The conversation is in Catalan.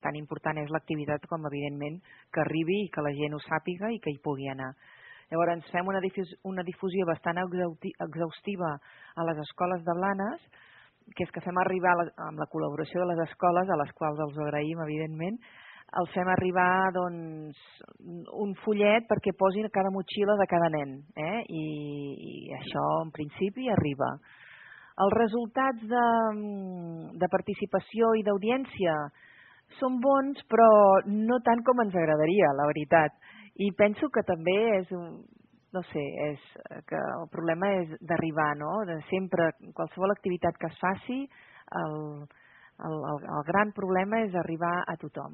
tan important és l'activitat com, evidentment, que arribi i que la gent ho sàpiga i que hi pugui anar. Llavors, fem una difusió bastant exhaustiva a les escoles de Blanes, que és que fem arribar, amb la col·laboració de les escoles, a les quals els agraïm, evidentment, els fem arribar un fullet perquè posin a cada motxilla de cada nen, i això, en principi, arriba. Els resultats de participació i d'audiència són bons, però no tant com ens agradaria, la veritat. I penso que també que el problema és d'arribar, no? Sempre, qualsevol activitat que es faci, el gran problema és arribar a tothom.